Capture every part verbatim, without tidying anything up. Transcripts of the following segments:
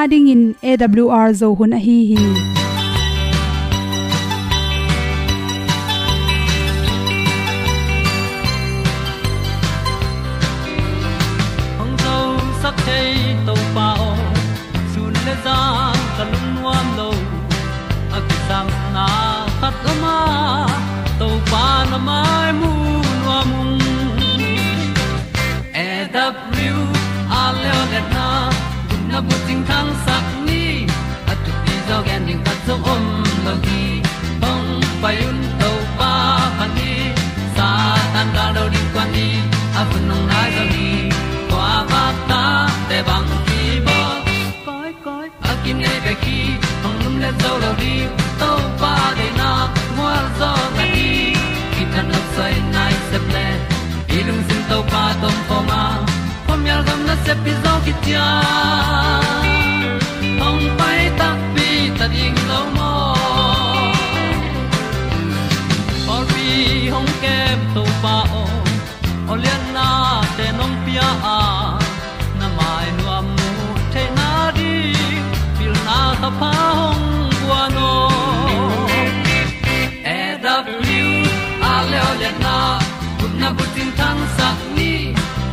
Adingin A W R Zo hun ahi hi. Hong zosak thei Topa aw, sun le zan ka lungnuam lo. A kisangna khat om a, Topa na mai mu nuam ung. A W R leo letna, gupna bucing thangsak ni, a thupi zaw gen ding khat zong om lo hi. Hong pai un Topa phat ni, Satan gal do ding kuan ni, a hun hong nai zaw hi. Kua vak ta te bang hi baw. Koi, koi, a kinei bek hi, hong lum le zo lo ding, Topa deihna gualzawhna ding, kithat nopsai nai sep le, i lungsim Topa tawh om khawm a, khuamial gam nasep hi zaw kician, hong pai takpi ta ding lo maw. Pawlpi hong kem Topa aw, aw liannate nong pia a, na mai nuam mu theihna ding, pilna thapha hong guan aw. A W R leo letna, gupna bucing thangsak ni,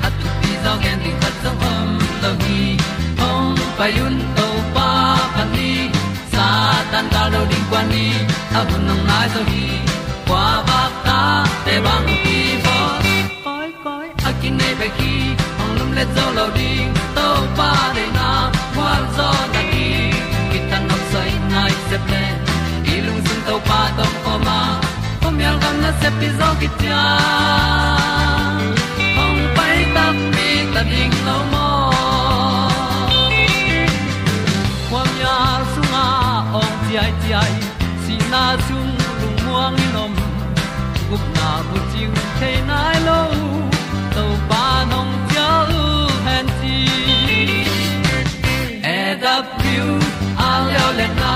a thupi zaw gen ding khat zong om lo hi. Hong pai un Topa phat ni, Satan gal do ding kuan ni, a hun hong nai zaw hi. Kua vak ta te bang hi baw. Koi, koi, a kinei bek hi, hong lum le zo lo ding, Topa deihna gualzawhna ding, kithat nopsai nai sep le, i lungsim Topa tawh om khawm a, khuamial gam nasep hi zaw kician, hong pai takpi ta ding lo maw. Khuamial sungah awng ciaiciai, sihna sung lungmuang in om, gupna bucing thei nai lo, Topa nong cial hen ci. A W R leo letna,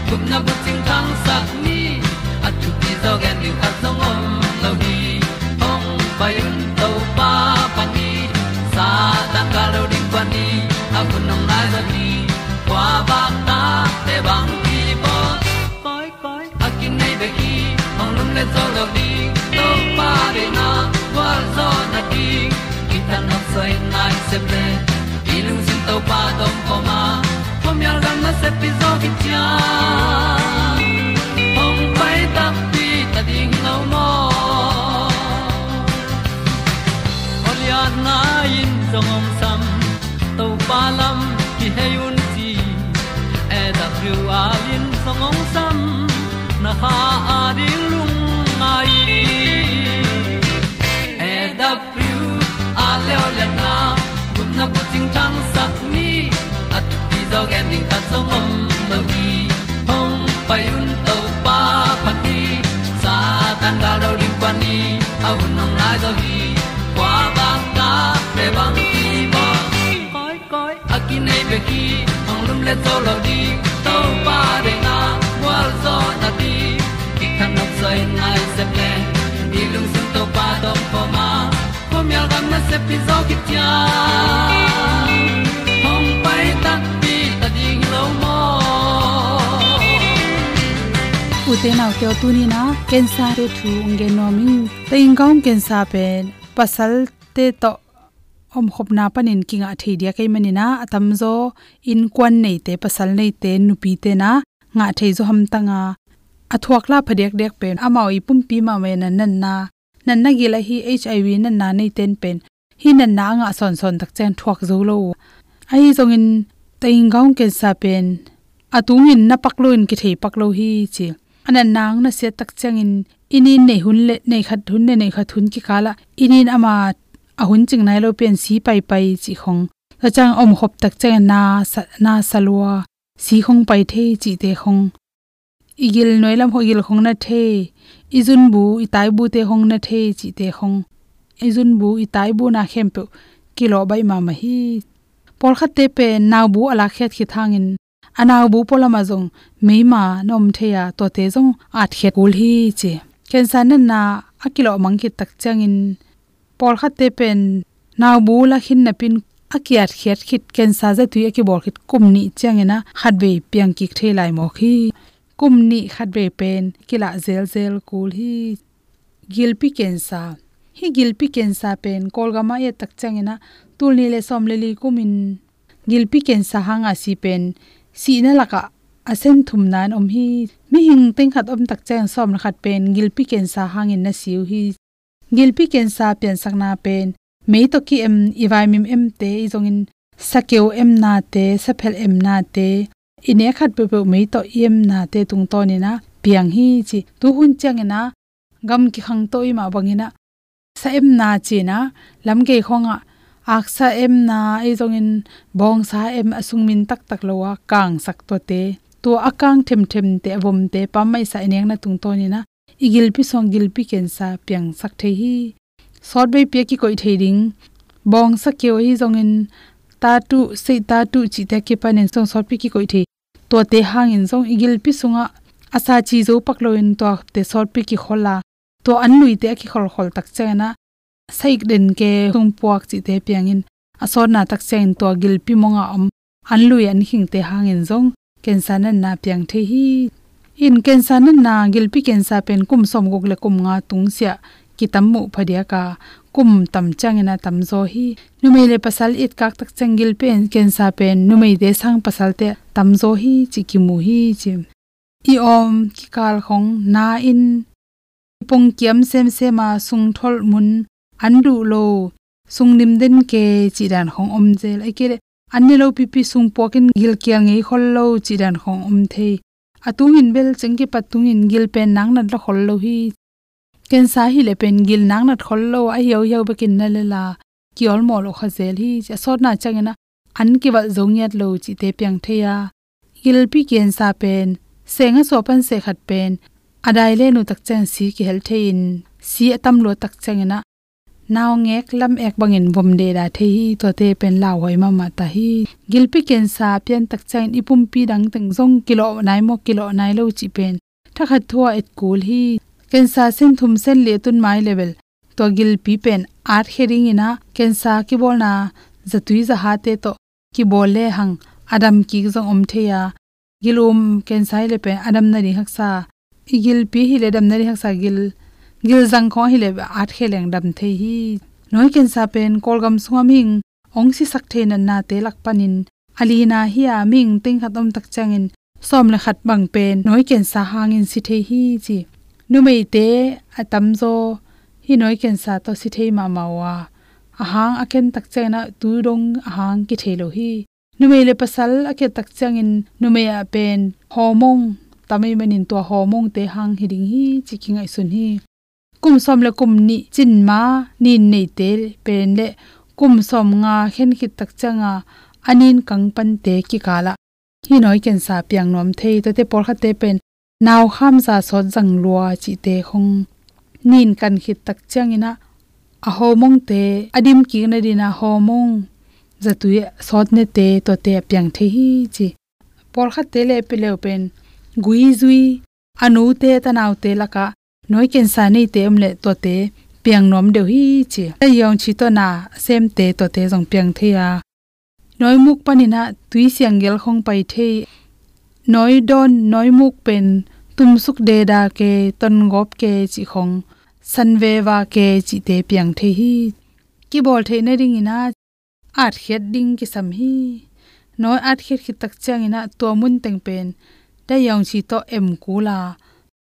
gupna bucing thangsak ni, a thupi zaw gen ding khat zong om lo hi. Hong pai un Topa phat ni, Satan gal do ding kuan ni, a hun hong nai zaw hi. Kua vak ta te bang hi baw. Koi, koi, a kinei bek hi, hong lum le zo lo ding, Topa deihna gualzawhna ding, kithat nopsai nai sep le, i lungsim Topa tawh om khawm a, khuamial gam nasep hi zaw kician, hong pai takpi ta ding lo maw. Aw lianna in zong hong sam, Topa lam kihei un ci, A W R in zong hong sam, na kha a ding lungngai. A W R leo letna, gupna bucing thangsak ni, a thupi zaw gen ding khat zong om lo hi. Hong pai un Topa phat ni, Satan gal do ding kuan ni, a hun hong nai zaw hi. Kua vak ta te bang hi baw. Koi, koi, a kinei bek hi, hong lum le zo lo ding, Topa deihna gualzawhna ding, kithat nopsai nai sep le, i lungsim Topa tawh om khawm a, khuamial gam nasep hi zaw kician, hong pai takpi ta ding lo maw. Ute naute aw, tuni-in ah cancer te thu hong gen nuam ing. Taing Gaung cancer pen pasalte tawh omkhopna panin kingah thei diak ahih manin ah, a tamzaw innkuan neite, pasal neite, nupite in ah ngah thei zaw hamtang a, a thuak la phadiakdiak pen amau i pumpi mahmah in ah natna, natna gil ahi H I V natna neite in pen hih natna a ngah sawnsawn tak ciang thuak zo lo uh. Ahi zongin Taing Gaung cancer pen a tungin na pak loin kithei pak lo hi ci. A natna hong nasiat tak ciangin i nin nei hun le nei khat hun le nei khat hun kikalah i nin ama a hun cing nai lo pen si paipai cih khong. Tua ciang omkhop tak ciangin na sa, na sa lua, si khong pai thei cihte khong. I gil nuai lam khong, i gil khong na thei, i zunbu, i taibute khong na thei cihte khong. I zunbu, i taibu na khempeuh kilawh baih mahmah hi. Pawlkhatte pen naubu a lakkhiat khit hangin a naubu pualam ah zong meima na om thei a, tuate zong atkhiat kul hi ci. Cancer natna a kilawh mang khit tak ciangin pawlkhatte pen naubu la khin napin a kiatkhiat khit, cancer zatui a kibawl khit kum nih ciangin ah khatvei piang kik thei lai mawk hi. Kum nih khatvei pen kilah zelzel kul hi. Gilpi cancer. Hih gilpi cancer pen Kawlgam ah i et tak ciangin ah tul nih le sawm le li kumin gilpi cancer hanga si pen sihna lakah a sen thumna in om hi. Mihing teng khat om tak ciangin sawm le khat pen gilpi cancer hangin na si uh hi. Gilpi cancer piansakna pen mei tawh ki-em, i vaimim emte, i zongin sakeu emnate, saphel emnate, i nek khat peuhpeuh mei tawh i emnate tungtawnin ah piang hi ci. Tuhun ciangin ah gam kikhangto i mah bangin ah sa emna ci-in ah lamgei khawngah aksa emna, i zongin bawngsa em, a sung min taktak lo a kangsak tuate, tua a kang themthemte, a vomte pammaih sa i nekna tungtawnin ah i gilpi sung gilpi cancer piangsak thei hi. Sawtveipi a kikoih thei ding bawngsa keu, ahi zongin tatu, seih tatu cihte a kipanin zong sawtpi kikoih thei. Tuate hangin zong i gilpi sungah a sa ci zo pak loin tuate sawtpi kikhol a, tua an luite a kikholkhol tak ciangin ah saik den ke, sungpuak cihte piangin a sawtna tak ciangin tua gilpi mongah om an lui an khingte hangin zong cancer natna piang thei hi. In cancer natna, gilpi cancer pen kum sawmguk le kum nga tungsiah kitam muh phadiak a, kum tam ciangin ah tamzaw hi. Numei le pasal i etkak tak ciang gilpi cancer pen numeite sang pasalte tamzaw hi ci kimu hi ci. I awm kikal khong na in, i pongkiam semsem a, sungtholh mun an duh lo, sungnim den ke cih dan khong om zel. Ahih kei leh an ne lo pipi, sungpuak in gilkial ngei khol lo cih dan khong om thei. A tungin bel ceng kipat tungin gil pen naknat la khol lo hi. Cancer hi leh pen gil naknat khol lo, a hiauhiau bekin na lel a, kiawlmawh lo kha zel hi ci. A sawtna ciangin ah an kivalh zo ngiat lo cihte piang thei a, gilpi cancer pen seng a suah pan seh khat pen a dai len uh tak ciang si kihel thei in, si a tam luat tak ciangin ah naungek lam ek bangin vom deda thei hi. Tuate pen lauhuai mahmah ta hi. Gilpi cancer pian tak ciangin i pumpi dang teng zong kilawh nai maw, kilawh nai lo cih pen thakhat thu a et kul hi. Cancer sen thum sen li a tun mai leh bel tua gilpi pen atkhia dingin ah cancer kibawlna zatui zahate tawh kibawl lehang a dam kik zong om thei a, gil um cancer hi leh pen a damna ding haksa, i gilpi hi leh damna ding haksa, gil, gilzang khong hi leh atkhia leng dam thei hi. Nawi cancer pen Kawlgam sungah mihing hong sisak thei natnate lak panin a lina hi a, mihing teng khat om tak ciangin sawm le khat bang pen nawi cancer hangin si thei hi ci. Numeite a tamzaw hih nawi cancer tawh si thei mahmah uh a, a hang a ken tak ciangin ah tu dong a hang kithei lo hi. Numei le pasal a kiat tak ciangin numei ah pen hormone tam ahih manin tua hormonete hang hi ding hi ci kingaihsun hi. Kum sawm le kum nih cin ma nin neite pen le kum sawm nga khen khit tak cianga a nin kang pante kikal ah hih nawi cancer piang nuam thei. Tuate pawlkhatte pen naukhamza sawt zang lua cihte khong nin kan khit tak ciangin ah a hormonete a dim kik nadin a hormone zatui sawt nete tuate a piang thei hi ci. Pawlkhatte le a pileu pen gui zui, a nute tanaute lakah nawi cancer neite om leh tuate piang nuam deuh hi ci. A yawng ci tawh na a semte tuate zong piang thei a, nawi muk panin ah tui siang gel khong pai thei. Nawi dawn, nawi muk pen tumsuk deda ke, tongawp ke cih khong, sanveva ke cihte piang thei hi. Kibawl theih nadingin ah atkhiat ding kisam hi. Nawi atkhiat khit tak ciangin ah tua mun teng pen dai yawng ci tawh em kul a,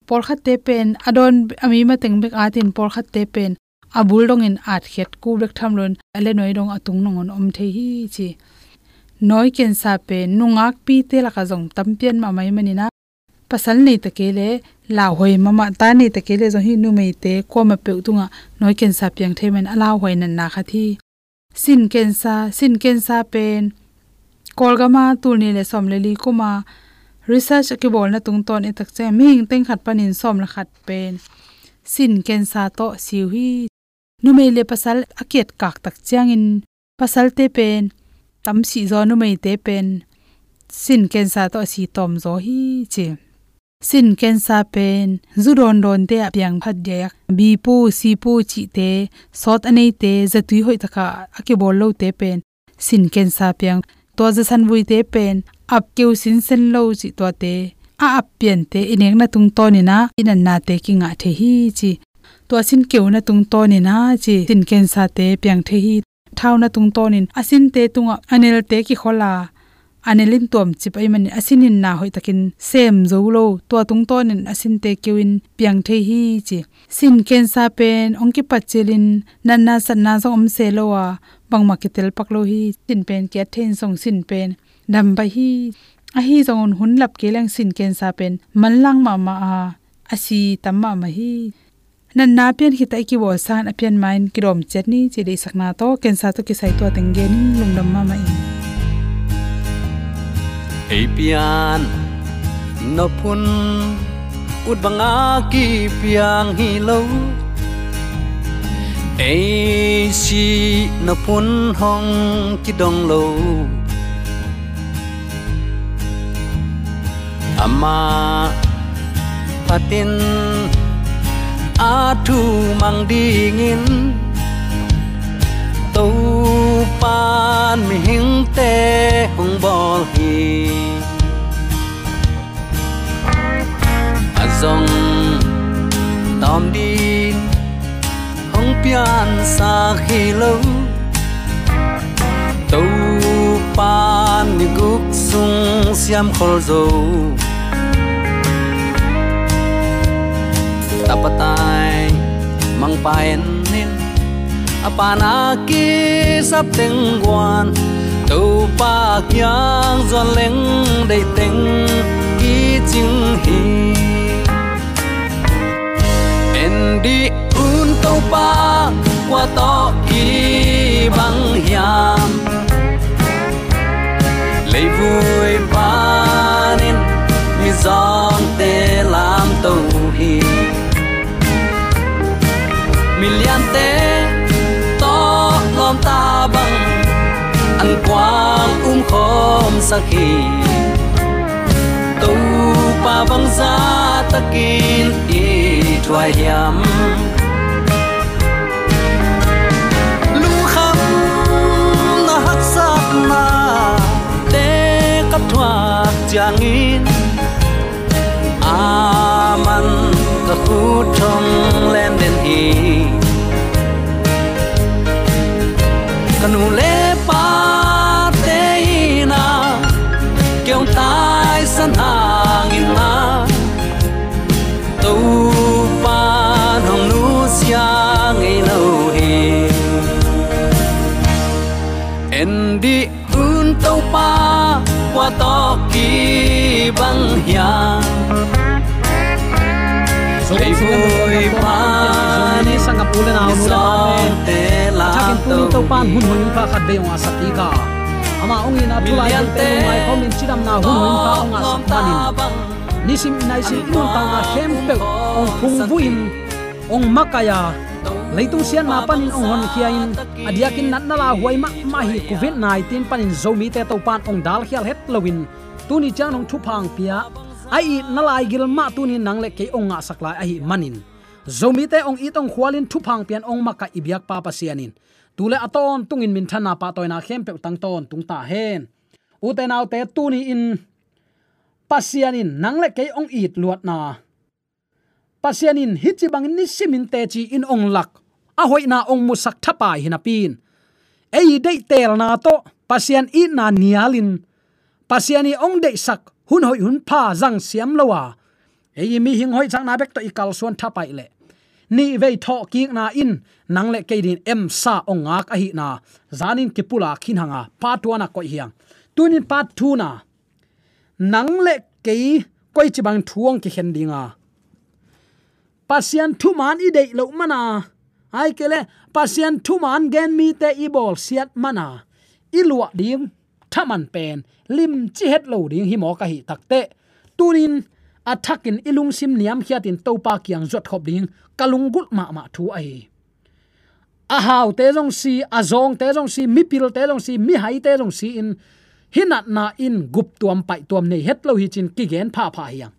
pawlkhatte pen a dawn a mi mateng bek atin, pawlkhatte pen a bul dongin atkhiat kul bek tham loin a le nawi dong a tung nangawn om thei hi ci. Nawi cancer pen nungakpite lakah zong tam pian mahmah ahih manin ah pasal nei ta kei leh lauhuai mahmah, ta nei ta kei leh zong hih numeite kuamah peuh tungah nawi cancer piang thei manin a lauhuai natna khat hi. Sin cancer, sin cancer pen Kawlgam ah tul nih le sawm le li kuma research a kibawlna tungtawn i et tak ciang mihing teng khat panin sawm le khat pen sin cancer tawh si uh hi. Numei le pasal a kiatkak tak ciangin pasalte pen tam sih zaw, numeite pen sin cancer tawh a si tawm zaw hi ci. Sin cancer pen zu dawndawnte ah piang phadiak, B pu, C pu cihte, sawt a neite, zatui hoih takah a kibawl lote pen sin kensa piang. Tua zasan vuite pen ap keu sinsen lo cih tuate, a ap piante i nekna tungtawnin ah i natnate kingah thei hi ci. Tua sin keuna tungtawnin ah ci, sin kensate piang thei hi. Thauna tungtawnin a sinte tungah a nelte kikhol a, a nel in tuamcip ahih manin a sin in na hoihtakin sem zo lo, tua tungtawnin a sinte keu in piang thei hi ci. Sin kensa pen hong kipat cilin natna satna zong om se lo a, bangmah kitel pak lo hi. Sin pen kiat thei in zong sin pen dam baih hi. Ahi zongin hun lap kei leng sin kensa pen manlang mahmah a, a si tam mahmah hi. Natna pian khit a i kibawl sangin a pian ma-in kidawm ciat ni ci deihsakna tawh kensa tawh kisai tua teng genin lungdam mahmah ing. Ei pian nop hun ut banga kipiang hi lo. Ei sih nop hun hong kidong lo. Amah phatin a thu mang dingin Topan mihingte hong bawl hi. A zong tawm ding hong piansak hi lo. Topan ni guk sung siam khol zo. Tapa tai mangpa en in, a pana kisap teng guan, Topa kiang zuan leng deih teng kicing hi. En dih un Topa kua tawh kibang hiam? Leivui panin mizawngte lamto hi. Miliante tawh lawmta bang an kuang umkhawmsak hi. Topa bangzah takin i thuai hiam? Lungkhamna haksatnate ka thuak ciangin, aman ka khut thong lenden hi. Ka nu le pate in ah kei hong taisan hangin ah, Topa hong nusia ngei lo hi. En dih un Topa kua tawh kibang hiam? Leivui panin mizawngte lamto hi. Thakin tuni Topa in hun hoih hun pha khat vei hong ngahsak kik a, ama hong itna thu lai tungte nung maikhawmin cidamna hun hoih hun pha hong ngahsak manin, nisim naisim i nuntakna khempeuh hong phungvuh in, hong makaih a, leitung siatna panin hong honkhia in, a diakin natna lauhuai mahmah hi Covid nineteen panin Zomite Topa in hong dalkhial het loin, tuni ciang hong thupha hong pia, a itna laigil mah tuni nang le kei hong ngahsak lai ahih manin, Zomite hong it hong khualin thupha hong pian hong makaih i biakpa Pasian in tu le a tawntungin minthanna pahtawina khempeuh tang tawntung ta hen. Ute naute, tuni-in Pasian in nang le kei hong it luatna, Pasian in hih ci bangin nisimin teci in hong lak, a hoihna hong musak thapai hi napi in, ei deihtelna tawh Pasian itna nialin, Pasian i hong deihsak hun hoih hun pha zang siam lo a, ei mihing hoihsakna bek tawh i kalsuan thapaih leh, nihvei thawhkikna in nang le kei dingin emsa hong ngak ahihna zanin kipulak khin hang a, part one ah koih hi hang. Tunin part two na, nang le kei koici bang thu hong kikhen ding a, Pasian thuman i deih loh man a, ahih kei leh Pasian thuman gen mite i bawlsiat man a, i luah ding thaman pen limci het lo ding hi mawk ahih takteh, tunin a thakin i lungsim niamkhiatin Topa kiang zuatkhop ding ka lunggulh mahmah thu ahi hi. A haute zong si, a zawngte zong si, mipilte zong si, mihaite zong si-in, hih natna in guptuam paihtuam nei het lo hi ci-in kigen phapha hi hang.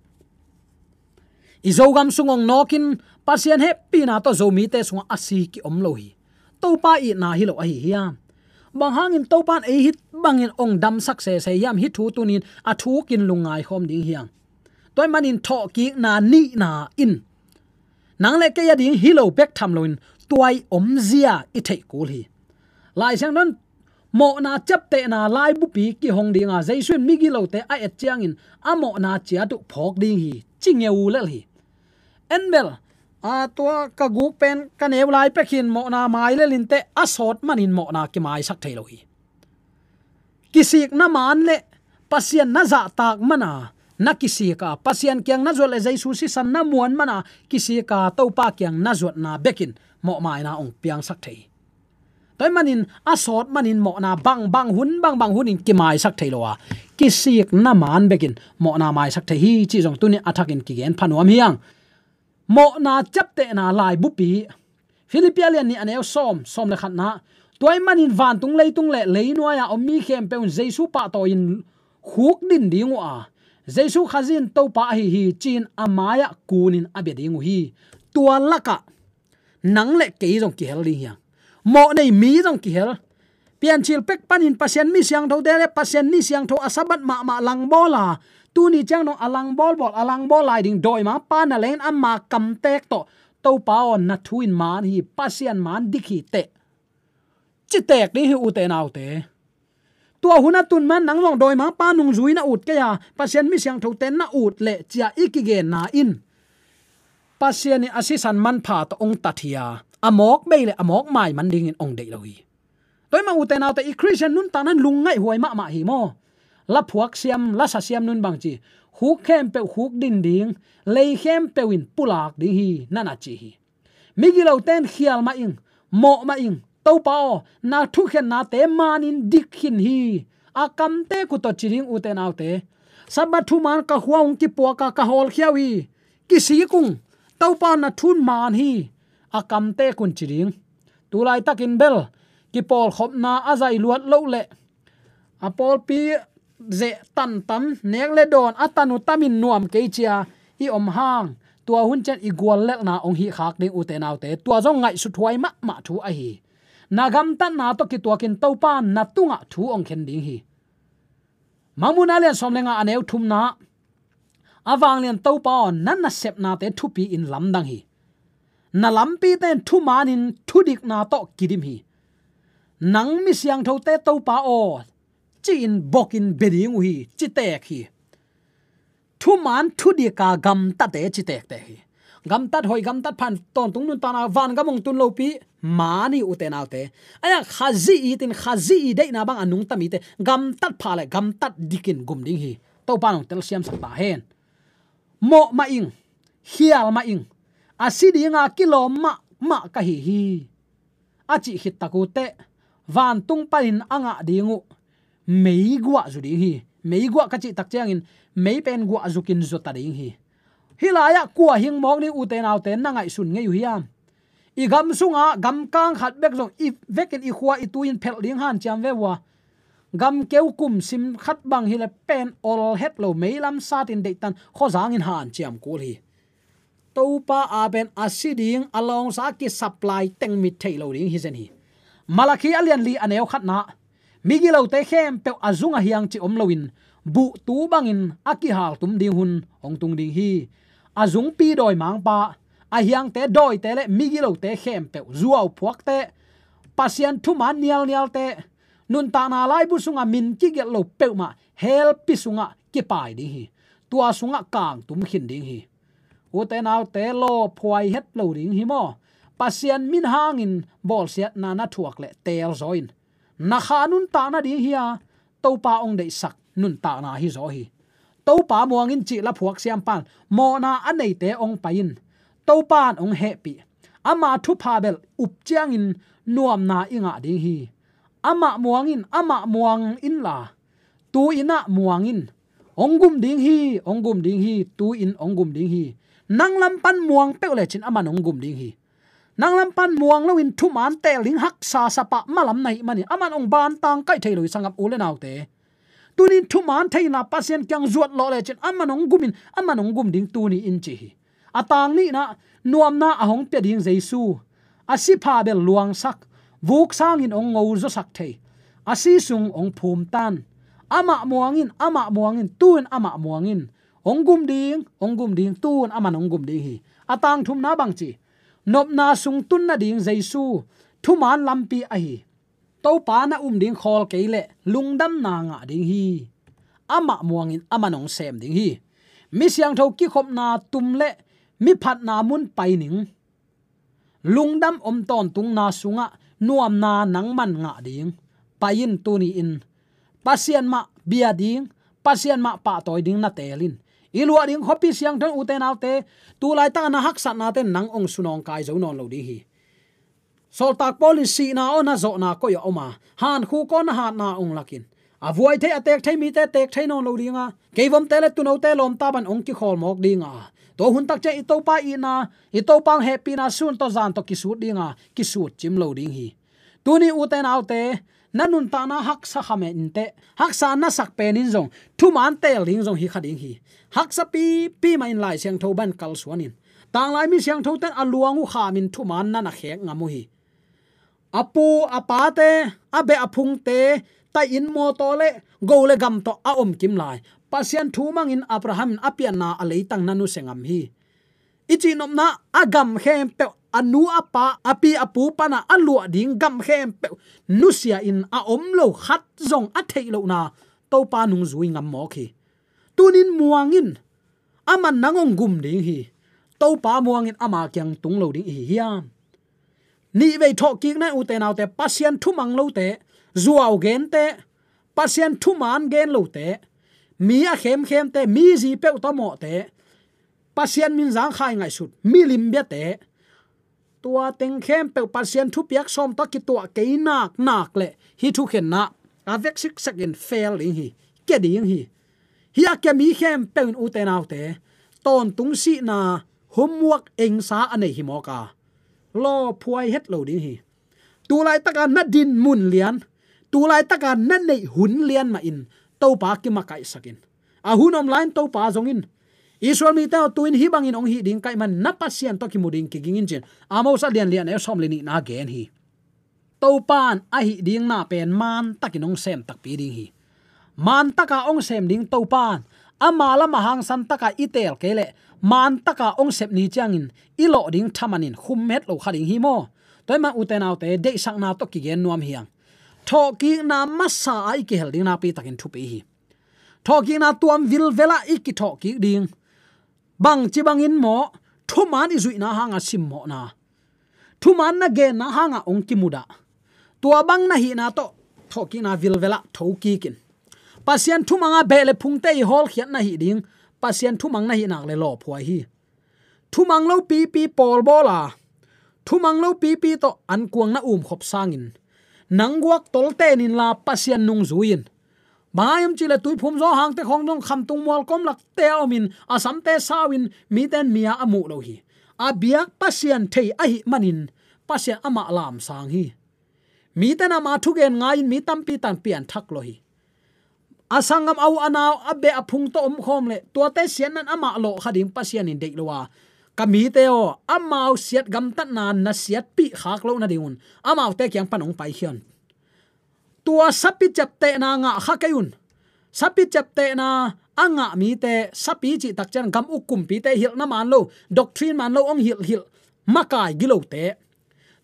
I Zogam sung hong nawkin Pasian hehpihna tawh Zomite sungah a si kiom lo hi. Topa itna hi lo ahi hiam? Bang hangin Topan ei hih bangin ong damsak sese hiam, hih thu tunin a thukin lungngai khawm ding hiam? Tua ahih manin thawhkikna nihna in nang le kei a ding hi lo bek tham loin tua i omzia i theih kul hi. Lai Siangtho in mawhna ciaptehna laibupi kihong dinga Jesu in migilote a et ciangin a mawhna ciat uh phawk ding hi, ci ngeu lel hi. En bel, a, tua ka guk pen ka neu lai pek hin mawhna mai lel inteh, a sawt manin mawhna kimaisak thei lo hi. Kisikna man le Pasian na zahtak mana na kisik a, Pasian kiang na zuat le Jesu sisan na muan mana kisik a, Topa kiang na zuatna bekin mawhmaina ong piangsak thei hi. Tua ahih manin a sawt manin mawhna bangbang hun bangbang hunin kimaisak thei lo a, kisikna man bekin mawhna maisak thei hi, cih zong tunin a thakin kigen pha nuam hi hang. Mawhna ciaptehna laibupi, Filippi a lian nih a neu sawm, sawm le khatna. Tua ahih manin vantung leitung le leinuai-a om mi khempeuh in Jesu pahtawi in khukdin ding uh a, Jesu Khazih in Topa ahi hi, ci-in a mai-ah kunin a bia ding uh hi. Tua lakah nang le kei zong kihel ding hi hang. Mawh nei mi zong kihel. Piancil pek panin Pasian mi siangthote le Pasian ni siangtho a Sabbath mahmah langbawl a, tuni ciang dong a langbawl bawl, a langbawl lai ding dawimangpa na leng in ama kamtek tawh, Topa aw, na thu in man hi, Pasian man dik hi teh, ci tek ding hi, ute naute. Tua hun a tun man nang zong dawimangpa nungzui na ut kei a, Pasian mi siangthote na ut leh, ci-a i kigenna in Pasian in a sisan manpha tawh ong tat hi a, a mawk bei le a mawk mai man dingin ong deih lo hi. Tua ahih manin ute naute, i Khristian nuntakna in lungngaihhuai mahmah hi maw. La phuak siam, la sa siam nun bangci, khuk khempeuh khukdin ding, lei khempeuh in pulak ding hi, na na ci hi. Migilote in khial mah ing, mawh mah ing, Topa aw, na thukhennate manin dik khin hi, a kamtek uh tawh ci ding, ute naute. Sabbath thuman ka khua ong kipuak a, ka hawlkhia uh hi, kisik ung, Topa na thu in man hi, a kamtek un ci ding. Tulaitakin bel kipawlkhopna a zai luat loh leh a pawlpi zeh tantan, nek le dawn a tan uh tamin nuam kei ci-a i om hang, tua hun ciang i guallelhna ong hih khak ding, ute naute. Tua zong ngaihsuthuai mahmah thu ahi. Na gamtatna tawh kituakin Topa in na tungah thu ong khen ding hi. Mangmuhna lian sawm le nga a neu thumna. A vanglian Topa aw, na nasepnate thupi in lamdang hi. Na lampite in thumanin thudikna tawh kidim hi. Nang mi siangthote Topa aw, ci-in bokin bia ding uh hi, ci tek hi. Thuman thudika gamtate ci tektek hi. Gamtat hoih, gamtat pha in tawntung nuntakna vangam ong tun lopi man hi, ute naute. Ahi hang Khazih itin, Khazih i deihna bang a nungta mite gamtat pha le gamtat dikin gum ding hi. Topa in ong telsiamsak ta hen. Mawh mah ing, khial mah ing, a si dinga kilawm mahmah ka hi hi, a cih khit tak uh teh, vantung panin a ngah ding uh meiguah zu ding hi. Meiguah ka cih tak ciangin mei pen guah zukin zuta ding hi. Hih lai-ah kua hing mawk ni, ute naute, na ngaihsun ngei uh hiam? I gam sungah gamkang khat bek zong i vekin i khua i tui in phelh ding hanciam ve uh a, gamkeu kum sim khat bang hi le pen ol het lo, meilam satin deihtan khuazangin hanciam kul hi. Topa a pen a si ding, a lawngsa a kisupply teng mit theih lo ding hi zen hi. Malakhi a lian li a neu khatna, migilote khempeuh a zung a hiang cih om loin buhtu bangin a kihaltum ding hun hong tung ding hi. A zungpi dawimangpa, a hiangte dawite le migilote khempeuh, zuauphuakte, Pasian thuman nialnialte, nuntakna laibu sungah min kigelh lo peuhmah hellpi sungah kipai ding hi. Tua sungah kangtum khin ding hi. Ute naute, lawphuai het lo ding hi maw. Pasian min hangin bawlsiatna na thuak leh teelzaw in. Na kha nuntakna ding hi a, Topa ong deihsak nuntakna hizaw hi. Topa muang in cih la phuak siampan mawhna a neite ong pai in. Topa in ong hehpih. Ama thupha bel up ciangin nuamna i ngah ding hi. Amah muang in, amah muang inla, tu-in ah muang in. Ong gum ding hi, ong gum ding hi, tu-in ong gum ding hi. Nang lam pan muang peuh lecin aman ong gum ding hi. Nang lam pan muang loin thuman teel ding haksa sapa malam na hih manin aman ong bantang kaih thei lo hi, sanggam u le naute. Tunin thuman theihna Pasian kiang zuat lawh lecin aman ong gum in, aman ong gum ding tuni in ci hi. A tang nihna, nuamna a hong pia ding Jesu, a sipha bel luangsak, vuk sangin ong ngozasak thei, A si sung hong phum tan. Amah muang in, amah muang in, tu-in amah muang in. Hong gum ding, hong gum ding, tu-in aman hong gum ding hi. A tangthumna bang ci? Nopna sung tun nading Jesu thuman lampi ahi. Topa na um ding khawl kei leh lungdamna ngah ding hi. Amah muang in aman hong sem ding hi. Mi siangtho kikhopna tum leh mi phatna mun pai ning. Lungdam om tawntungna sungah nuamna nangman ngah ding. Pai in tuni-in Pasian mah bia ding, Pasian mah pahtawi ding na teel in. I luah ding khuapi siangtho in, ute naute, tu laitak a na haksatnate in nang hong sunawngkai zo nawn lo ding hi. Sawltak Paul in sihna aw na zawhna koih a om a, hankhuk aw na hatna hong lak in. A vuai thei, a teek thei mite teek thei nawn lo ding a, keivomte le tuunote lawmta bang hong kikhawl mawk ding a, tua hun tak ciang i Topa itna, i Topa hong hehpihna sun tawh zan tawh kisut ding a, kisut cim lo ding hi. Tuni ute naute, na nuntakna haksa kha mah inteh, haksa na sak pen in zong thuman teel ding zong hi kha ding hi. Haksa pipi mah in Lai Siangtho bang kalsuan in. Tanglai mi siangthote in a luang uh kham in thuman na na khek ngam uh hi. A pu a pate, a beh a phungte, tai-in mawtaw le go le gam tawh a om kim lai, Pasian thu mangin Abraham in a pianna a leitang na nusia ngam hi. I cihnopna, a gam khempeuh, a nu a pa, a pi a pu pana a luah ding gam khempeuh nusia in a om lo khat zong a theih lohna Topa nungzui ngam mawk hi. Tunin muang in, aman nang hong gum ding hi. Topa muang in ama kiang tung lo ding i hi hiam? Nih vei thawhkikna in, ute naute, Pasian thumang lote, zuau gente, Pasian thuman gen lote, mi a khemkhemte, mi zi peuh tawh mawhte, Pasian min zangkhai ngaihsut milim biate, tua teng khempeuh Pasian thupiak sawm tawh kituah kei naknak le hih thukhenna a vek siksekin fel ding hi, kia ding hi. Hih a kia mi khempeuh in, ute naute, tawntung sihna homework engsa a nei hi mawk a, lawphuai het lo ding hi. Tu laitaka na din mun lian, tu laitaka na neih hun lian mahin Topa kimakaihsak in. A hun om lai-in Topa zong in, Israel mite aw, tu-in hih bangin hong hih ding ka hih manin na Pasian tawh kimu ding kiging in, ci-in Amos a lian li, a neu sawm le nihna gen hi. Topa in a hih ding na pen mantakin hong sem takpi ding hi. Mantaka hong sem ding Topa in ama lam a hangsan taka i teel kei leh, mantaka hong sep ni ciangin i lawh ding thamanin khum het lo kha ding hi maw? Tua ahih manin, ute naute, deihsakna tawh kigen nuam hi hang. Thawhkikna masa-a i kihel ding nakpi takin thupi hi. Thawhkikna tuam vilvelah i kithawhkik ding. Bangci bangin maw? Thuman i zuihna hanga simmawhna, thuman na genna hanga hong kimudah, tua bang na hihna tawh thawhkikna vilvelah thokik in. Pasian thumanga beh le phungte i hawlkhiat na hih ding, Pasian thumang na hih nak leh lawphuai hi. Thumang lo pipi pawlbawl a, thumang lo pipi tawh ankuang na umkhop sangin, nang guak tolten inla Pasian nungzui in. Bang hang hiam cih leh tuiphum zaw hangte khawng zong, khamtung mualkom lakte a omin, a samte sau-in, mite in mi-a a muh lo hi. A biak Pasian thei ahih manin Pasian amah lamsang hi. Mite in ama thugen ngai-in mi tampi tak pianthak lawh hi. A sanggam, a u a nau, a beh a phung tawh omkhawm leh, tuate siatna in amah lawh kha ding Pasian in deih lo a, ka mite aw, amau siat gamtatna na siatpih khak loh nadingun amaute kiang pan hong paikhia un. Tua sapi ciaptehna ngah kha kei un. Sapi ciaptehna a ngah mite, sapi cih tak ciang gam uk kumpite, hilhna man lo, doctrine man lo, hong hilhhilh makai gilote,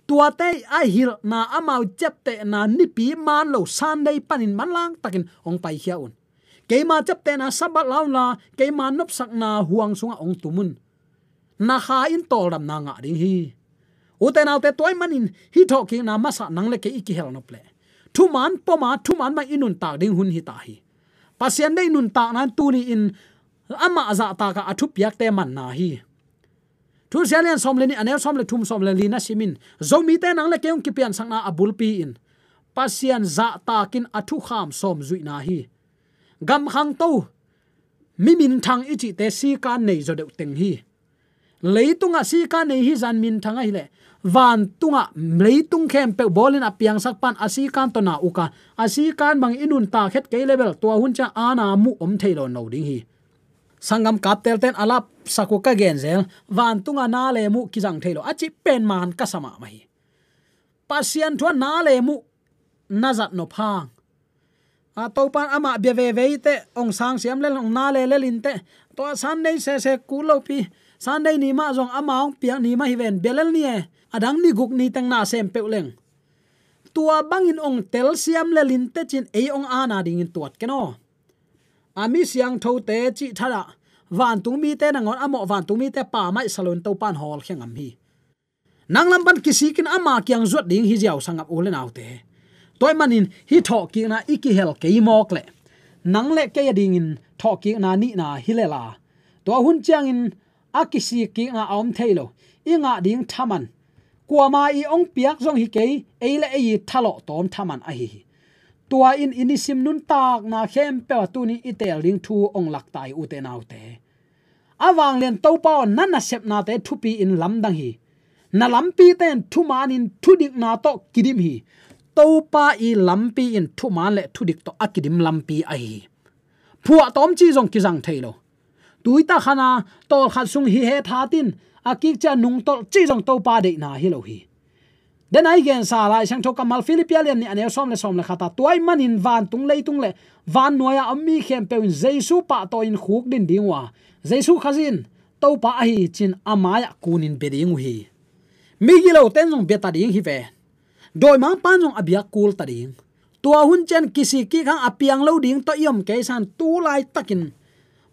tuate a hilhna, amau ciaptehna nipi man lo Sunday panin manlang takin hong paikhia un. Keima ciaptehna Sabbath la unla, keima nopsakna huang sungah hong tum un. Na kha in tawldamna ngah ding hi. Ute naute, tua ahih manin hih thawhkikna masa nang le kei i kihel nop leh, thuman poma thuman mah i nuntak ding hun hita hi. Pasian deih nuntakna in tuni-in amah zahtakah a thupiakte manna hi. Thusia lian sawm le nih, a neu sawm le thum, sawm le li na sim in, Zomite nang le kei hong kipiansakna a bulpi in Pasian zahtakin a thukham sawm zuihna hi. Gam khangto, mi minthang i cihte sikan nei zaw deuh teng hi. Leitungah sikan nei hi zan minthang ahih leh, vantungah leitung khempeuh bawlin a piangsak pan a sikan tawh na uk a, a sikan bang i nuntak het kei leh bel, tua hun ciang aana muh om thei lo nawn lo ding hi. Sanggam kaptelte'n a lapsak uh ka genzel, vantunga na le muh kizang thei lo a cih pen man ka sa mahmah hi. Pasian thu-a na le muh na zat nop hang. A, Topan amah bia veve i teh, ong sang siam lel, ong na lelel in teh, tua Sunday sese kul lopi, Sunday ni mah zong ama ong piak ni mah hi ven, bia lel ni e, a dang ni guk ni teng na sem peuh leng. Tua bangin ong tel siam lel in teh cin ei ong ana dingin tuat ken aw. A, mi siangthote cih thadah, vantung mite nangawn a mawh vantung mite pammaih sa loin Topan hawlkhia ngam hi. Nang lam pan kisikin ama kiang zuat ding hi ziau sangap u le naute. Tua ahih manin hih thawhkikna i kihel kei mawk leh, nang le kei adingin thawhkikna nihna hi lel a, tua hun ciangin a kisikkikna a om thei lo. I ngah ding thaman, kuama i ong piak zong hi kei, ei le ei i thalawh tawm thaman ahi hi. Tua in i nisim nuntakna khempeuh a tuni i teel ding thu ong lakta hi, ute naute. A vanglian Topa aw, na nasepnate thupi in lamdang hi. Na lampite in thumanin thudikna tawh kidim hi. Topa i lampi in thuman le thudik tawh a kidim lampi ahi hi. Phuahtawm cih zong kizang thei lo. Tuita khana tawlkhat sung hi het hatin, a kik cia nungtolh cih zong Topa deihna hi lo hi. Dena i gensa Lai Siangtho kammal Philippi a lian nih a neu sawm le sawm le khat a, tua ahih manin vantung leitung le vannuai-a om mi khempeuh in Jesu pahtawi in khukdin ding uh a, Jesu Khazih in Topa ahi cin a mai-ah kunin bia ding uh hi. Migilote in zong biata ding hi ve. Dawimangpa in zong a biak kulta ding. Tua hun ciang kisikkik hang a piang lo ding tawh i om kei san, tu laitakin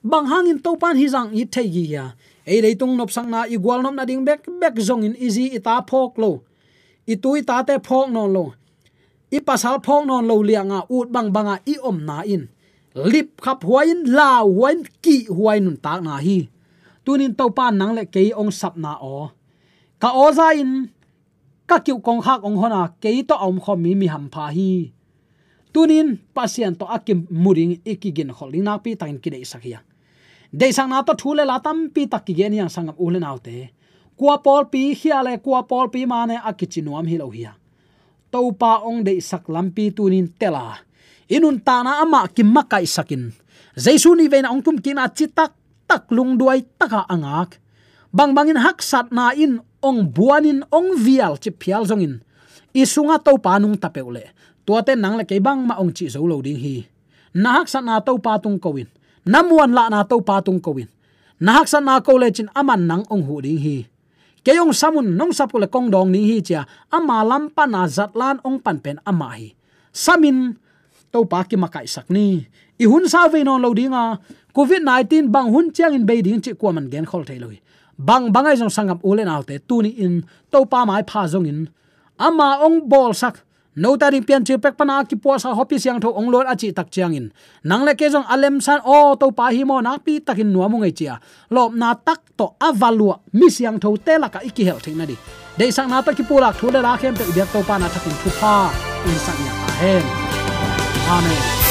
bang hangin Topan hih zah i thei gige a? Ei leitung nopsakna, i gualnop nading bekbek zongin i zi i ta phawk lo, i tu i tate phawk nawn lo, i pasal phawk nawn lo lianga ut bangbanga i omna in lipkhap huai in, lau huai in, kih huai nuntakna hi. Tunin Topan nang le kei ong sapna aw, ka awza in ka kiuh kongkhak ong hon a, kei tawh a omkhawm mi mi hampha hi. Tunin Pasian tawh a kimu ding i kiginkholh ding nakpi takin kideihsak hi a. Deihsakna tawh thu le la tampi tak kigen hi hang sangap u le naute. Kua pawlpi khia le kua pawlpi mane a kici nuam hi lo hi a. Topa ong deihsak lampi tunin tel a, i nuntakna amah kimakaihsakin, Jesu nihveina ong kumkikna citak tak lungduai taka a ngak, bangbangin haksatna in ong buanin ong vial ciphial zongin, i sunga Topa nungta peuh leh, tuate nang le kei bangmah ong cih zo lo ding hi. Na haksatna Topa tung ko in, na muanlahna Topa tung ko in. Na haksatna ko lecin aman nang ong huh ding hi. Kei ong sam un, nong sap uh le kong dawng ding hi, ci-a ama lam pana zatlan ong pan pen amah hi. Samin Topa kimakaihsak ni. I hun sau vei nawn lo dinga, covid nineteen bang hun ciangin bei ding cih kuaman genkhol thei lo hi. Bangbang ahi zong sangap u le naute, tuni in Topa maipha zongin ama ong bawlsak, note a ding piancil pek pana a kipuahsa khuapi siangtho ong luat a cih tak ciangin, nang le kei zong a lemsan, aw, Topa hi maw, nakpi takin nuam ung ei, ci-a lawpna tak tawh a va luah mi siangthote lakah i kihelh theih nading, deihsakna tawh kipulak thu le la khempeuh i biak Topa na thakin thupha ong sak ngiat ta hen. Amen.